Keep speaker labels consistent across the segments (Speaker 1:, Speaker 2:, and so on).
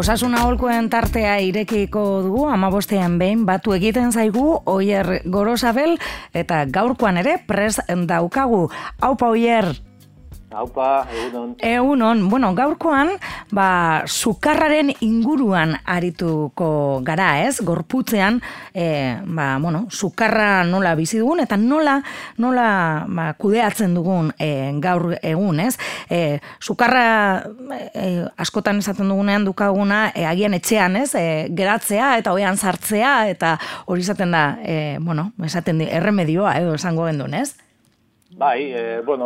Speaker 1: Osasun aholkuen tartea irekiko dugu, 15ean behin batu egiten zaigu Oier Gorosabel, eta gaurkoan ere prest daukagu. Aupa, Oier!
Speaker 2: Aupa, egunon.
Speaker 1: Egunon, bueno, gaurkoan, sukarraren inguruan arituko gara, ez? Gorputzean, sukarra nola bizi dugun, eta nola kudeatzen dugun gaur egun, ez? Sukarra askotan esaten dugunean dukaguna, agian etxean, ez? Geratzea eta oean sartzea, eta hori izaten da, esaten erremedioa, edo esango gendun, ez?
Speaker 2: Bai,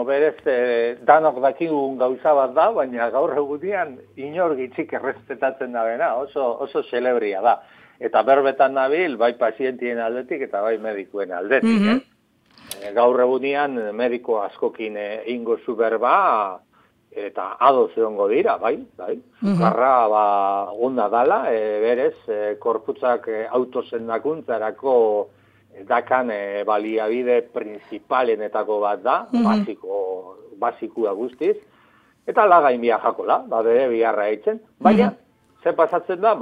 Speaker 2: berez, danok dakigun gauza bat da, baina gaur egunean inor gitzik errespetatzen da bena, oso celebria da. Eta berbetan nabil, bai pazientien aldetik eta bai medikuen aldetik. Gaur egunean mediko askokin ingo zu berba, eta ados egongo dira, bai. Sukarra onda dala, berez, korputzak autosendakuntzarako dakan baliabide principalenetako bat da, basikua guztiz, eta lagain biajakola, bere biharra eitzen, baina, ze pasatzen da,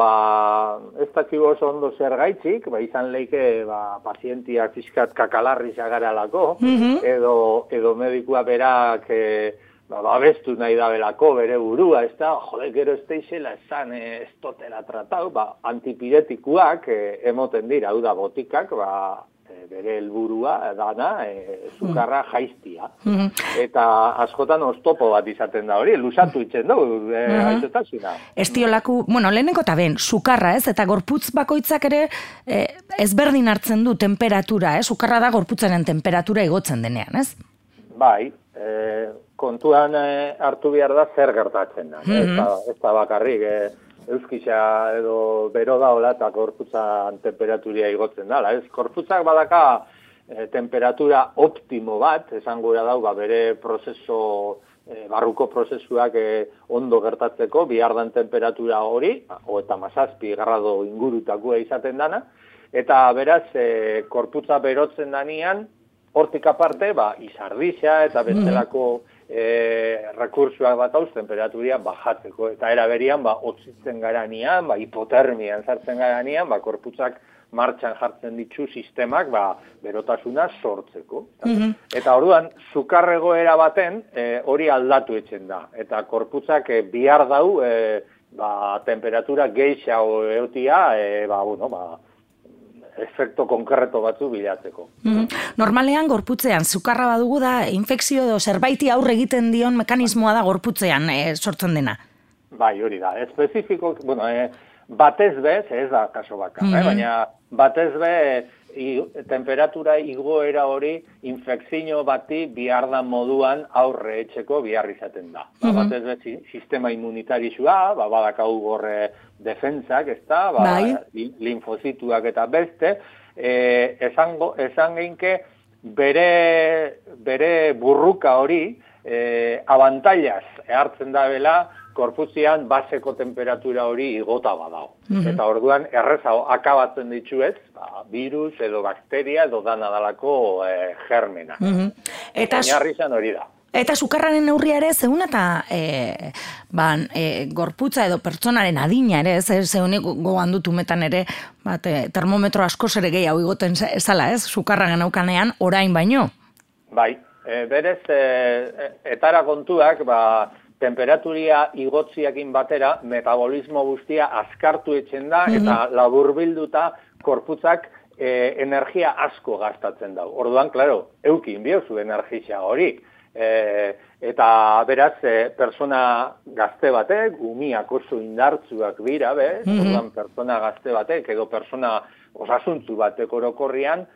Speaker 2: ez dakigu oso ondo zer gaitzik, izan leike pazientiak fiskat kakalarri zagaralako, edo medikua berak babestu nahi dabelako bere burua, ez da, gero ez teixela esan ez totela tratau, antipiretikuak emoten dira, hau da botikak, bere helburua dana, sukarra jaiztia. Eta askotan oztopo bat izaten da hori, lusatu itzen dugu, aizotasuna.
Speaker 1: Estiolaku, lehenengo eta ben, sukarra ez, eta gorputz bakoitzak ere ezberdin hartzen du temperatura, sukarra da gorputzaren temperatura igotzen denean, ez?
Speaker 2: Bai, kontuan hartu behar da zer gertatzen da. Ez da bakarrik, euskisa edo bero daola eta korputzan temperaturia igotzen dala. Korputzak badaka temperatura optimo bat, esan gura dau, bere barruko prozesuak ondo gertatzeko, bihardan temperatura hori, eta 17 grado ingurutakoa izaten dana, eta beraz, korputza berotzen danean, hortik aparte, izardisa eta bestelako rekursuak bat hauz, temperaturia bajatzeko. Eta eraberian, otzitzen garanean, hipotermian sartzen garanean, korputzak martxan jartzen ditu sistemak, berotasuna sortzeko. Eta orduan, sukarregoera baten, hori aldatu etzen da. Eta korputzak bihar dau, temperatura geixa eotia, efekto konkreto batzu bilatzeko.
Speaker 1: Normalean, gorputzean, sukarra badugu da, infekzio edo zerbaiti aurre egiten dion mekanismoa da gorputzean sortzen dena.
Speaker 2: Bai, hori da. Espezifiko, batez bez, ez da kaso bakar, baina batez be temperatura igoera hori infekzio bati bihardan moduan aurre etxeko bihar izaten da. Batez be sistema immunitarizua, badakau gorre defentsak, ez da, linfozituak eta beste, esan geinke bere burruka hori abantailaz hartzen da bela korputzian baseko temperatura hori igota badao. Eta orduan errezago akabatzen dituez, virus edo bakteria edo danadalako germena. Oinarri izan hori da.
Speaker 1: Eta sukarraren neurria ere, zeun eta gorputza edo pertsonaren adina ere, zeunik gogoan dut umetan ere, termometro askoz ere gehiago igoten ezala, ez? Sukarra genaukanean orain baino.
Speaker 2: Bai, berez, etara kontuak, temperaturia igotziakin batera, metabolismo guztia azkartu etzen da, eta laburbilduta korputzak energia asko gastatzen da. Orduan, klaro, eukin biozu energia hori. Eta beraz, persona gazte batek, umiak oso indartzuak dira, orduan persona gazte batek, edo persona osasuntzu batek orokorrian,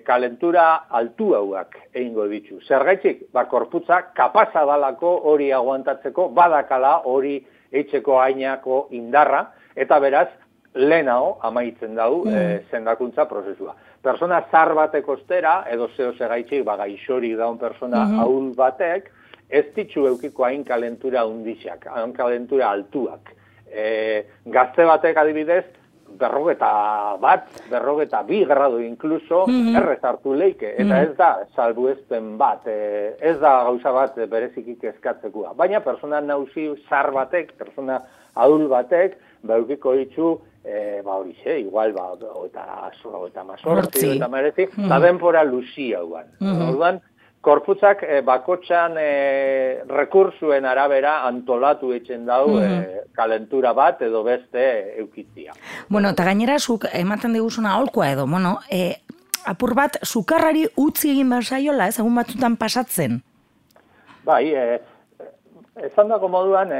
Speaker 2: kalentura altu hauak egingo ditu. Zergaitzik, korputza kapasa dalako hori aguantatzeko, badakala hori eitzeko ainako indarra, eta beraz, lehenago amaitzen dau zendakuntza prozesua. Persona zar batek ostera, edo zeo segaitzik, gaixorik daun persona ahul batek, ez ditzu eukiko hain kalentura undixak, hain kalentura altuak. Gazte batek adibidez, 42 grado inkluso errez hartu leike, eta ez da salbuespen bat, ez da gauza bat berezikik eskatzekoa. Baina persona nauzi zar batek, persona adul batek, eukiko ditu, horixe, igual, eta mazortzi, eta merezi, eta denpora luzia guan. Orduan, korputzak bakotxan rekursuen arabera antolatu etxen dau kalentura bat edo beste eukitzia.
Speaker 1: Bueno, eta gainera, zuk ematen diguzuna aholkoa edo, apur bat, sukarrari utzi egin behar saiola, egun batzutan pasatzen?
Speaker 2: Bai, esan dako moduan,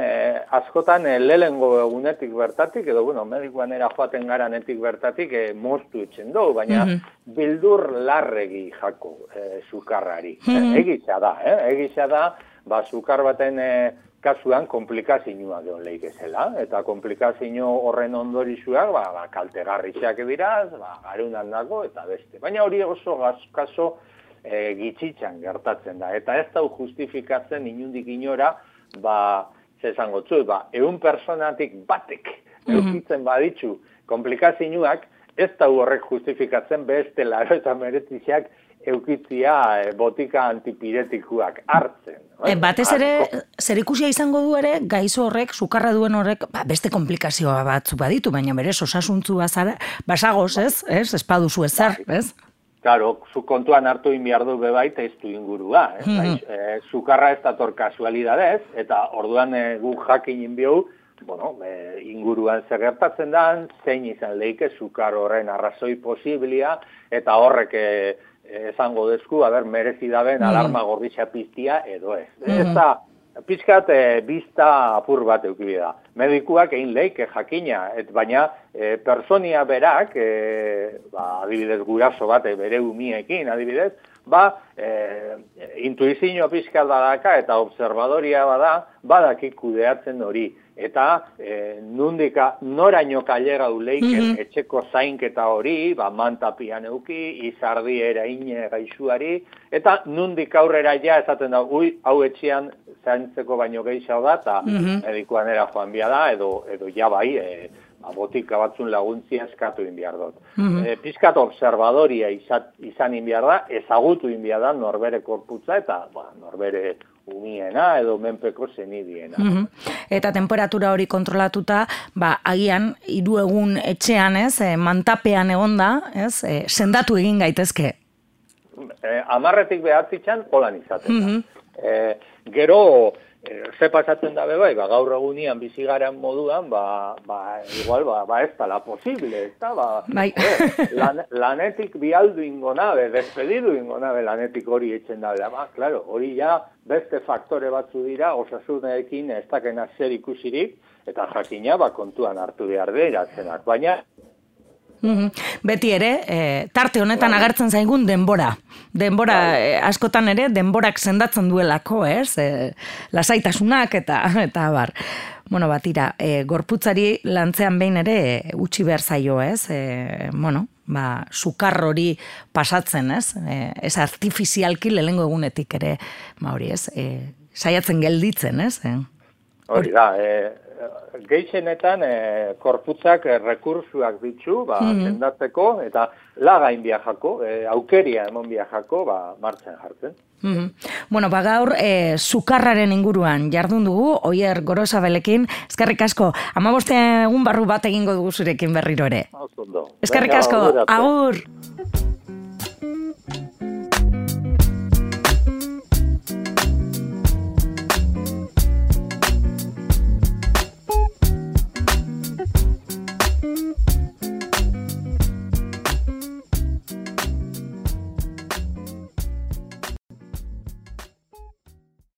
Speaker 2: askotan lehengo egunetik bertatik, edo, medikuan joaten garanetik bertatik, moztu etxen dugu, baina bildur larregi jako sukarrari. Egitza da, sukar baten kasuan komplikazioa geon lehikezela, eta komplikazio horren ondorizuak, kaltegarriak diraz, garunan dago, eta beste. Baina hori oso kaso gitzitzan gertatzen da, eta ez dau justifikatzen inundik inora, zezango tzu, 100 personatik batek eukitzen baditzu komplikazioak, ez da horrek justifikatzen beste 89 eukitzia botika antipiretikuak hartzen.
Speaker 1: Batez ere, zer ikusia izango du ere, gaizo horrek, sukarra duen horrek, beste komplikazioa batzu baditu, baina berez osasuntzu basagoz, ez? Espaduzu ezar, ez?
Speaker 2: Claro, zu kontuan hartu inbiardu bebait ez du ingurua. Sukarra ez dator kasualidadez, eta orduan gu jakin inbiu, inguruan zer gertatzen da, zein izan leike sukar horren arrazoi posiblia, eta horrek esango dezku, merezi daben alarma gorditza piztia edo ez. Ez da, pizkat bizta apur bat eukibida. Medikuak egin leike jakina, baina personia berak, adibidez guraso bat bere umiekin, adibidez, intuizio pizkat badaka eta observadoria badakik kudeatzen hori. Eta noraino kailega uleiken etxeko zainketa hori, mantapian euki, izardi eraine gaixuari, eta nundik aurrera ja esaten da, hau etxean zaintzeko baino gehiago da, eta medikuan joan bia da, edo ja bai, botika batzun laguntzia eskatu inbiar dut. Pizkat observadoria izan inbiar da, ezagutu inbiar da norbere korputza eta norbere umiena edo menpeko zenidiena.
Speaker 1: Eta temperatura hori kontrolatuta, agian 3 egun etxean, mantapean egonda, sendatu egin gaitezke.
Speaker 2: 10 behatzitzan holan izaten da. Gero, ze pasatzen da bebai, gaur egunian bizigaren moduan, igual, ez tala posible, ez da, lanetik bialdu ingonabe, despedidu ingonabe lanetik hori etxen da, claro, hori ja beste faktore batzu dira, osasunekin ez dakena zer ikusirik, eta jakina kontuan hartu behar dira zenak, baina
Speaker 1: beti ere, tarte honetan agertzen zaigun denbora. Denbora, askotan ere, denborak sendatzen duelako, lasaitasunak eta bar. Bueno, batira, gorputzari lantzean behin ere utzi behar zaio, sukar hori pasatzen, ez artifizialki lehengo egunetik ere, saiatzen gelditzen,
Speaker 2: Hori da, gehienetan korputzak rekursuak ditzu, sendatzeko, eta lagain biajako, aukeria emon biajako, martxan jartzen.
Speaker 1: Bueno, gaur sukarraren inguruan jardun dugu, Oier Gorosabelekin, eskerrik asko, 15 egun barru bat egingo dugu zurekin berriro ere. Eskerrik asko, agur!